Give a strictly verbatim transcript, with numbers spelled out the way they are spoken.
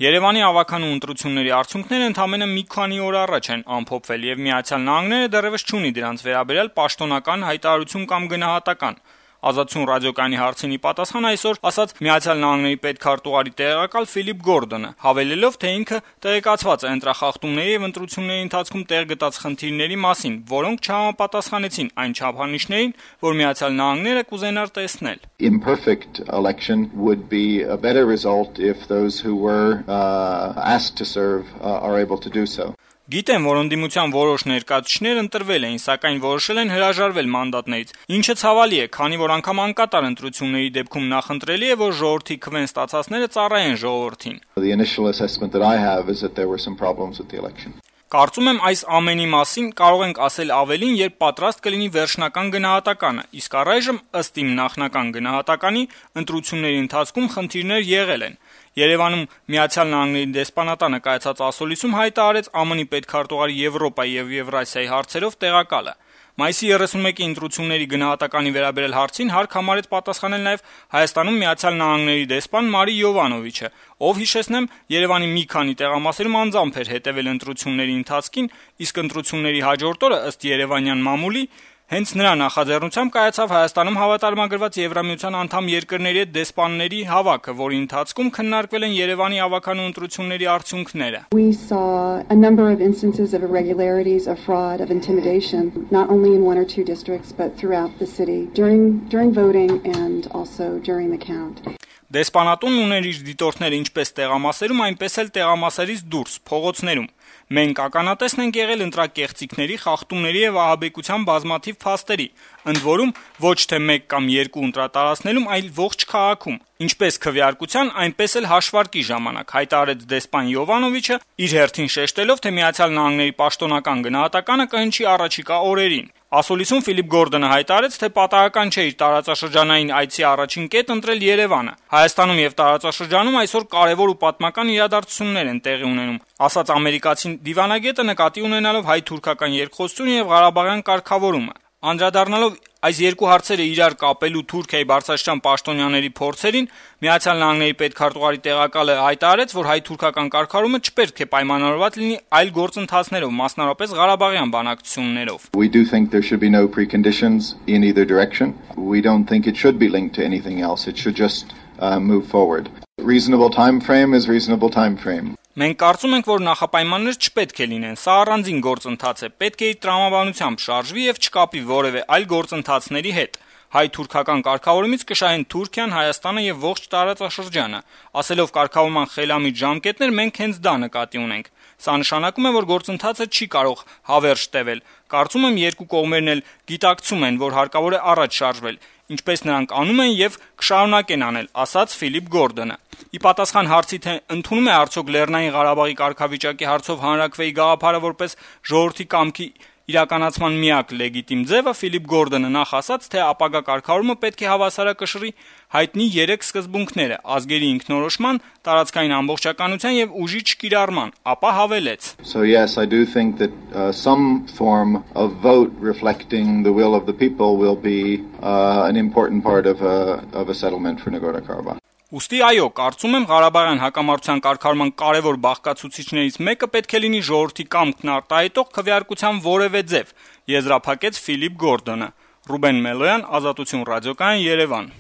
Երևանի ավականու ընտրությունների արդյունքները ընդամենը մի քանի օր առաջ են ամփոփվել եւ Միացյալ Նահանգները դեռեւս չունի դրանց վերաբերյալ պաշտոնական հայտարարություն կամ գնահատական։ Ազատություն ռադիոկայանի հարցին ի պատասխան այսօր ասաց Միացյալ Նահանգների պետքարտուղարի տեղակալ Ֆիլիպ Գորդոնը, հավելելով, թե ինքը տեղեկացված է ընտրախախտումների եւ ընտրությունների ընթացքում տեղ գտած խնդիրների մասին, որոնք չհամապատասխանեցին այն չափանիշներին, որ Միացյալ Նահանգները կուզենար տեսնել. Imperfect election would be a better result if those who were uh, asked to serve uh, are able to do so. Գիտեմ, որ ընդդիմության որոշ ներկայացուցիչներ ընտրվել էին, սակայն որոշել են հրաժարվել մանդատներից, ինչը ցավալի է, քանի որ անգամ անկատար ընտրությունների դեպքում նախընտրելի է, որ ժողովրդի քվեն ստացածները ծառայեն ժողովրդին։ The initial assessment that I have is that there were some problems with the election. Կարծում եմ այս ամենի մասին կարող ենք ասել ավելին, երբ պատրաստ կլինի վերջնական գնահատականը, իսկ առայժմ ըստ իմ նախնական գնահատականի ընտրությունների ընթացքում խնդիրներ եղել են։ Երևանում Միացյալ Նահանգների դեսպանատանը կայացած ասուլիսում հայտարարեց ԱՄՆ-ի պետքարտուղարի Եվրոպայի եւ Եվրասիայի հարցերով տեղակալը։ Մայիսի երեսունմեկի ընտրությունների գնահատականի վերաբերյալ հարցին հարկ համարեց պատասխանել նաեւ Հայաստանում Միացյալ Նահանգների դեսպան Մարի Յովանովիչը, ով հիշեցնեմ Երևանի մի քանի տեղամասերում անձամբ էր հետևել ընտրությունների ընթացքին, իսկ ընտրությունների հաջորդ օրը ըստ երևանյան մամուլի հենց նրա նախաձեռնությամբ կայացավ Հայաստանում հավատարմագրված Եվրամիության անդամ երկրների հետ դեսպանների հավաքը, որի ընթացքում քննարկվել են Երևանի ավականու ընտրությունների արդյունքները։ We saw a number of instances of irregularities, of fraud, of intimidation, not only in one or two districts but throughout the city during during voting and also during the count. Դեսպանատունն ուներ իր դիտորդները ինչպես տեղամասերում, այնպես էլ տեղամասերից դուրս, փողոցներում։ Մենք ականատեսն ենք եղել ընտրակեղծիքների, խախտումների եւ ահաբեկության բազմաթիվ փաստերի, ընդ որում ոչ թե մեկ կամ երկու ընտրատարածքներում, այլ ողջ քաղաքում, ինչպես քվեարկության, այնպես էլ հաշվարկի ժամանակ, հայտարարեց դեսպան Յովանովիչը, իր հերթին շեշտելով, թե Միացյալ Նահանգների պաշտոնական գնահատականը կհնչի առաջիկա օրերին։ Ասուլիսում Ֆիլիպ Գորդոնը հայտարարեց, թե պատահական չէ իր տարածաշրջանային այցի առաջին կետ ընտրել Երևանը։ Հայաստանում եւ տարածաշրջանում այսօր կարեւոր ու պատմական իրադարձություններ են տեղի ունենում, ասաց ամերիկացին դիվանագետը նկատի ունենալով հայ-թուրքական երկխոսությունը եւ Ղարաբաղյան կարգավորումը։ Անդրադառնալով այս երկու հարցերը իրար կապելու Թուրքիայի բարձրաստիճան պաշտոնյաների փորձերին, Միացյալ Նահանգների պետքարտուղարի տեղակալը հայտարարեց, որ հայ-թուրքական կարգավորումը չպետք է պայմանավորված լինի այլ գործընթացներով, մասնավորապես Ղարաբաղյան բանակցություններով։ We do think there should be no preconditions in either direction. We don't think it should be linked to anything else. It should just uh, move forward. Reasonable time frame is reasonable time frame. Մենք կարծում ենք, որ նախապայմաններ չպետք է լինեն, սա առանձին գործընթաց է, պետք է իր տրամաբանությամբ շարժվի եւ չկապի որևէ այլ գործընթացների հետ։ Հայ-թուրքական կարգավորումից կշահեն Թուրքիան, Հայաստանը եւ ողջ տարածաշրջանը։ Ասելով կարգավորման խելամիտ ժամկետներ, մենք հենց դա նկատի ունենք։ Սա նշանակում է, որ գործընթացը չի կարող հավերժ տևել։ Կարծում եմ երկու կողմերն էլ գիտակցում են, որ հարկավոր է առաջ շարժվել, ինչպես նրանք անում են եւ կշարունակեն անել, ասաց Ֆիլիպ Գորդոնը։ Ի պատասխան հարցի, թե ընդունում է արդյոք Լեռնային Ղարաբաղի կարգավիճակի հարցով հանրաքվեի գաղափարը որպես ժողովրդի կամքի իրականացման միակ լեգիտիմ ձևը, Ֆիլիպ Գորդոնը նախ ասաց, թե ապագա կարգավորումը պետք է հավասարակշռի հայտնի երեք սկզբունքները՝ ազգերի ինքնորոշման, տարածքային ամբողջականության եւ ուժի չկիրառման, ապա հավելեց. So yes, I do think that uh, some form of vote reflecting the will of the people will be uh, an important part of a of a settlement for Nagorno-Karabakh. Ուստի այո, կարծում եմ Ղարաբաղյան հակամարտության կարգավորման կարևոր բաղկացուցիչներից մեկը պետք է լինի ժողովրդի կամքն արտահայտող քվեարկության որևէ ձև, եզրափակեց Ֆիլիպ Գորդոնը։ Ռուբեն Մելոյան, Ազատություն ռադիոկայան, Երևան։